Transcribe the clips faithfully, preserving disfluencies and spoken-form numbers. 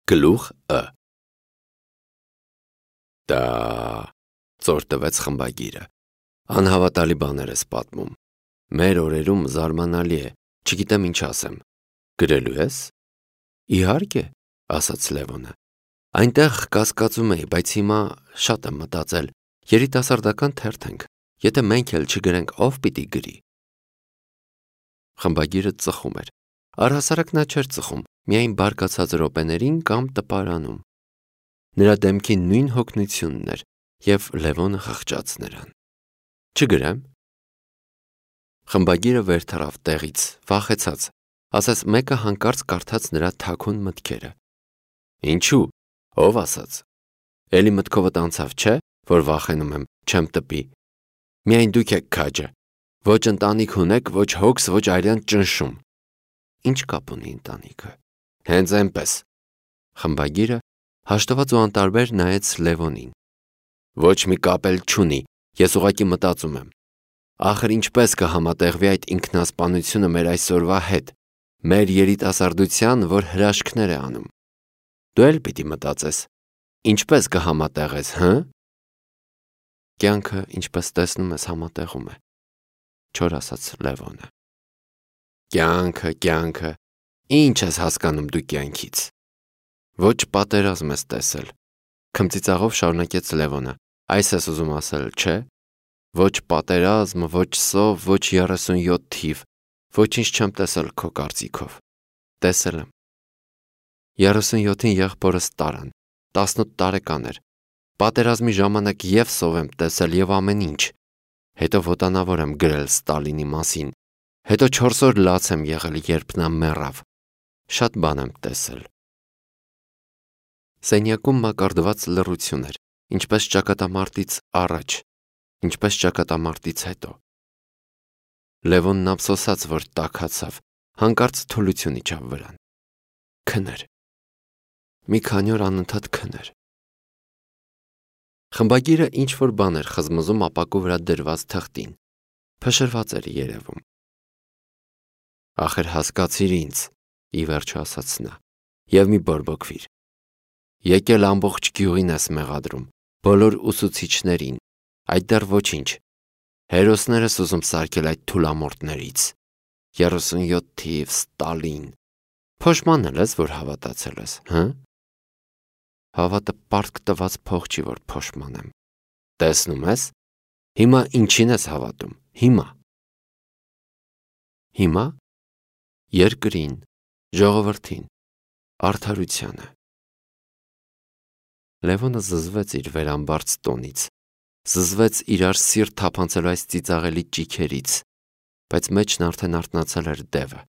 Գլուխ Ը Դա ծոր տվեց խմբագիրը։ Անհավատալի բաներ ես պատմում։ Մեր օրերում զարմանալի է, չգիտեմ ինչ ասեմ։ Գրելու ես։ Իհարկե, ասաց Լևոնը։ Այնտեղ կասկածում էի, բայց հիմա շատ եմ մտածել, երիտասարդական թերթ ենք, եթե մենք էլ չգրենք, ով պիտի գրի։ Խմբագիրը ծխում էր։ Առհասարակ նա չէր ծխում, միայն բարկացած րոպեներին կամ տպարանում։ Նրա դեմքի նույն հոգնությունն էր, և Լևոնը խղճաց նրան։ Չգրեմ։ Խմբագիրը վեր թռավ տեղից, վախեցած, ասես մեկը հանկարծ կարդաց նրա թաքուն մտքերը։ Ինչու՞, ով ասաց։ Էլի մտքովդ անցավ, չէ, որ վախենում եմ, չեմ տպի։ Միայն դուք եք քաջը։ Ոչ ընտանիք ունեք, ոչ հոգս, ոչ արյան ճնշում։ Ինչ կապ ունի ընտանիքը։ Հենց այնպես։ Խմբագիրը հաշտված ու անտարբեր նայեց Լևոնին։ Ոչ մի կապ էլ չունի, ես ուղղակի մտածում եմ։ Ախր ինչպես կհամատեղվի այդ ինքնասպանությունը մեր այսօրվա հետ, մեր երիտասարդության, որ հրաշքներ է անում։ Դու էլ պիտի մտածես, ինչպես կհամատեղես, հը՞։ Կյանքը, ինչպես տեսնում ես, համատեղում է, չոր ասաց Լևոնը։ Կյանքը, կյանքը, ինչ ես հասկանում դու կյանքից։ Ոչ պատերազմ ես տեսել, քմծիծաղով շարունակեց Լևոնը, այս ես ուզում ասել, չէ։ Ոչ պատերազմ, ոչ սով, ոչ երեսունյոթ թիվ, ոչինչ չեմ տեսել քո կարծիքով։ Տեսել եմ։ Երեսունյոթին եղբորս տարան, տասնութ տարեկան էր։ Պատերազմի ժամանակ և սով եմ տեսել և ամեն ինչ։ Հետո ոտանավոր եմ գրել Ստալինի մասին։ Հետո չորս օր լաց եմ եղել, երբ նա մեռավ։ Շատ բան եմ տեսել։ Սենյակում մակարդված լռություն էր, ինչպես ճակատամարտից առաջ, ինչպես ճակատամարտից հետո։ Լևոնն ափսոսաց, որ տաքացավ, հանկարծ թուլություն իջավ վրան։ Քներ։ Մի քանի օր անընդհատ քներ։ Խմբագիրը ինչ-որ բան էր խզմզում ապակու վրա դրված թղթին։ Փշրված էր երևում։ Ախր հասկացիր ինձ, ի վերջո ասաց նա, և մի բորբոքվիր։ Եկել ամբողջ գյուղին ես մեղադրում, բոլոր ուսուցիչներին, այդ դեռ ոչինչ։ Հերոսներ ես ուզում սարքել այդ թուլամորթներից։ Երեսունյոթ թիվ, Ստալին։ Փոշմանել ես, որ հավատացել ես, հը։ Հավատը պարտք տված փող չի, որ փոշմանեմ։ Տեսնում ես։ Հիմա ինչին ես հավատում, հիմա։ Հիմա երկրին, ժողովրդին, արդարությանը։ Լևոնը զզվեց իր վերամբարձ տոնից, զզվեց իրար սիրտ թափանցելու այս ծիծաղելի ճիգերից, բայց մեջն արդեն արթնացել էր դևը։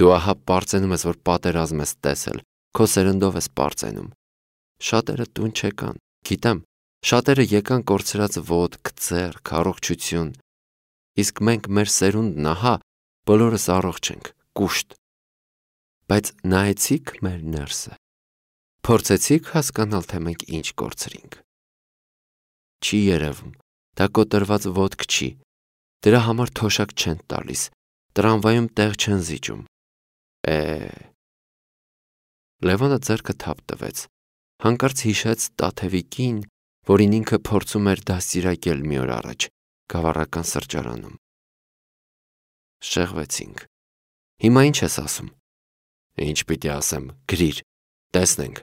Դու ահա պարծենում ես, որ պատերազմ ես տեսել, քո սերնդով ես պարծենում։ Շատերը տուն չեկան, գիտեմ, շատերը եկան կորցրած ոտք, ձեռք, առողջություն, իսկ մենք մեր սերունդն ահա, բոլորս առողջ ենք, կուշտ։ Բայց նայեցի՞ք մեր ներսը։ Փորձեցի՞ք հասկանալ, թե մենք ինչ կորցրինք։ Չի երևում, դա կոտրված ոտք չի, դրա համար թոշակ չեն տալիս, տրամվայում տեղ չեն զիջում։ Է… Լևոնը ձեռքը թափ տվեց, հանկարծ հիշեց Տաթևիկին, որին ինքը փորձում էր դաստիարակել մի օր առաջ, գավառական սրճարանում։ Շեղվեցինք։ Հիմա ինչ ես ասում։ Ինչ պիտի ասեմ, գրիր, տեսնենք։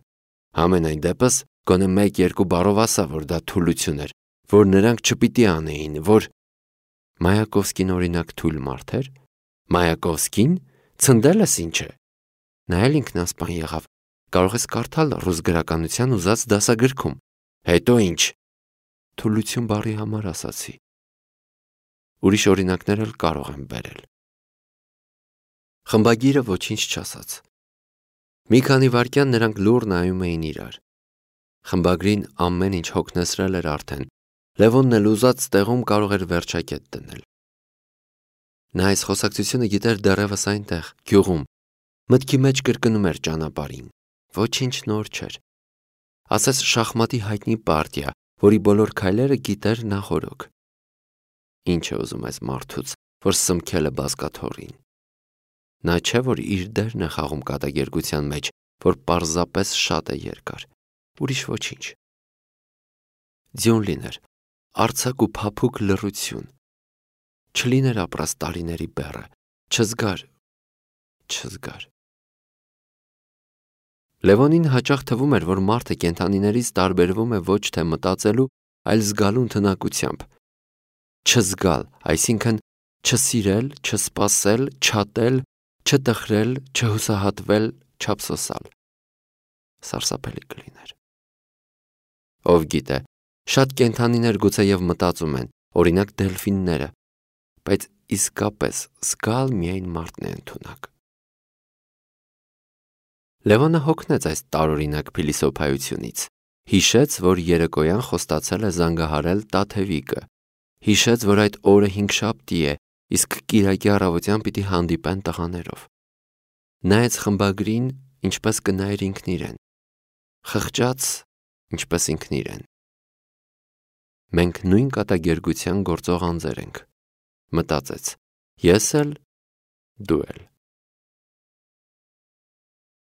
Համենայն դեպս, գոնե մեկ-երկու բառով ասա, որ դա թուլություն էր, որ նրանք չպիտի անեին, որ… Մայակովսկին օրինակ թույլ մարդ էր։ Մայակովսկին, ցնդել ես ինչ է։ Նա էլ ինքնասպան եղավ, կարող ես կարդալ ռուս գրականության ուզած դասագրքում։ Հետո ինչ։ Թուլություն բառի համար ասացի։ Ուրիշ օրինակներ էլ կարող եմ բերել։ Խմբագիրը ոչինչ չասաց։ Մի քանի վայրկյան նրանք լուռ նայում էին իրար։ Խմբագրին ամեն ինչ հոգնեցրել էր արդեն։ Լևոնն էլ ուզած տեղում կարող էր վերջակետ դնել։ Նա այս խոսակցությունը գիտեր դեռևս այնտեղ, գյուղում, մտքի մեջ կրկնում էր ճանապարհին։ Ոչինչ նոր չէր։ Ասես շախմատի հայտնի պարտիա, որի բոլոր քայլերը գիտեր նախօրոք։ Ինչ է ուզում այս մարդուց, որ սմքել է բազկաթոռին։ Նա չէ, որ իր դերն է խաղում կատակերգության մեջ, որ պարզապես շատ է երկար, ուրիշ ոչինչ։ Ձյուն լիներ, արձակ ու փափուկ լռություն, չլիներ ապրած տարիների բեռը, չզգար, չզգար։ Լևոնին հաճախ թվում էր, որ մարդը կենդանիներից տարբերվում է ոչ թե մտածելու, այլ զգալու ընդունակությամբ։ Չզգալ, այսինքն չսիրել, չսպասել, չատել, չտխրել, չհուսահատվել, չափսոսալ։ Սարսափելի կլիներ։ Ով գիտե, շատ կենդանիներ գուցեև մտածում են, օրինակ դելֆինները, բայց իսկապես զգալ միայն մարդն է ընդունակ։ Լևոնը հոգնեց այս տարօրինակ փիլիսոփայությունից, հիշեց, որ երեկոյան խոստացել է զանգահարել Տաթևիկը, հիշեց, որ այդ օրը հինգշաբթի է, իսկ կիրակի առավոտյան պիտի հանդիպեն տղաներով։ Նայեց խմբագրին, ինչպես կնայեր ինքն իրեն, խղճաց, ինչպես ինքն իրեն։ Մենք նույն կատակերգության գործող անձեր ենք, մտածեց, ես էլ, դու էլ։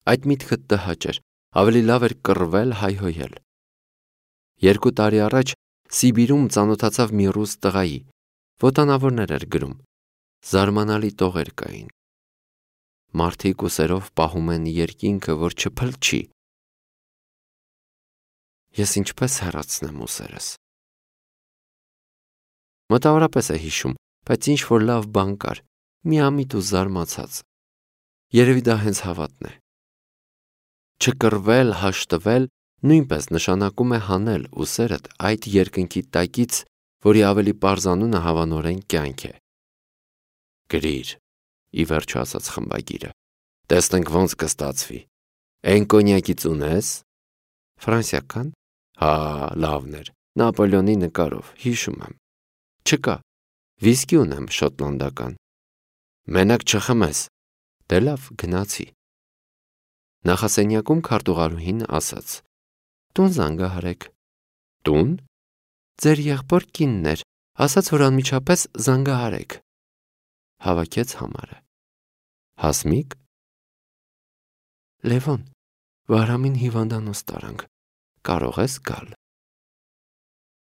Այդ միտքը տհաճ էր, ավելի լավ էր կռվել, հայհոյել։ Երկու տարի առաջ Սիբիրում ծանոթացավ մի ռուս տղայի, ոտանավորներ էր գրում, զարմանալի տողեր կային։ Մարդիկ ուսերով պահում են երկինքը, որ չփլչի։ Ես ինչպես հեռացնեմ ուսերս։ Մոտավորապես է հիշում, բայց ինչ որ լավ բան կար, միամիտ ու զարմացած։ Երևի դա հենց հավատն է։ Չկռվել, հաշտվել նույնպես նշանակում է հանել ուսերդ այդ երկնքի տակից, որի ավելի պարզանունը հավանորեն կյանք է։ Գրիր, ի վերջո ասաց խմբագիրը, տեսնենք ոնց կստացվի։ Էն կոնյակից ունես։ Ֆրանսիական։ Հա, լավն էր, Նապոլեոնի նկարով, հիշում եմ։ Չկա, վիսկի ունեմ շոտլանդական։ Մենակ չխմես։ Դե լավ, գնացի։ Նախասենյակում քարտուղարուհին ասաց. Տուն զանգահարեք։ Տուն։ Ձեր եղբոր կինն էր, ասաց, որ անմիջապես զանգահարեք։ Հավաքեց համարը։ Հասմիկ։ Լևոն, Վահրամին հիվանդանոց տարանք, կարող ես գալ։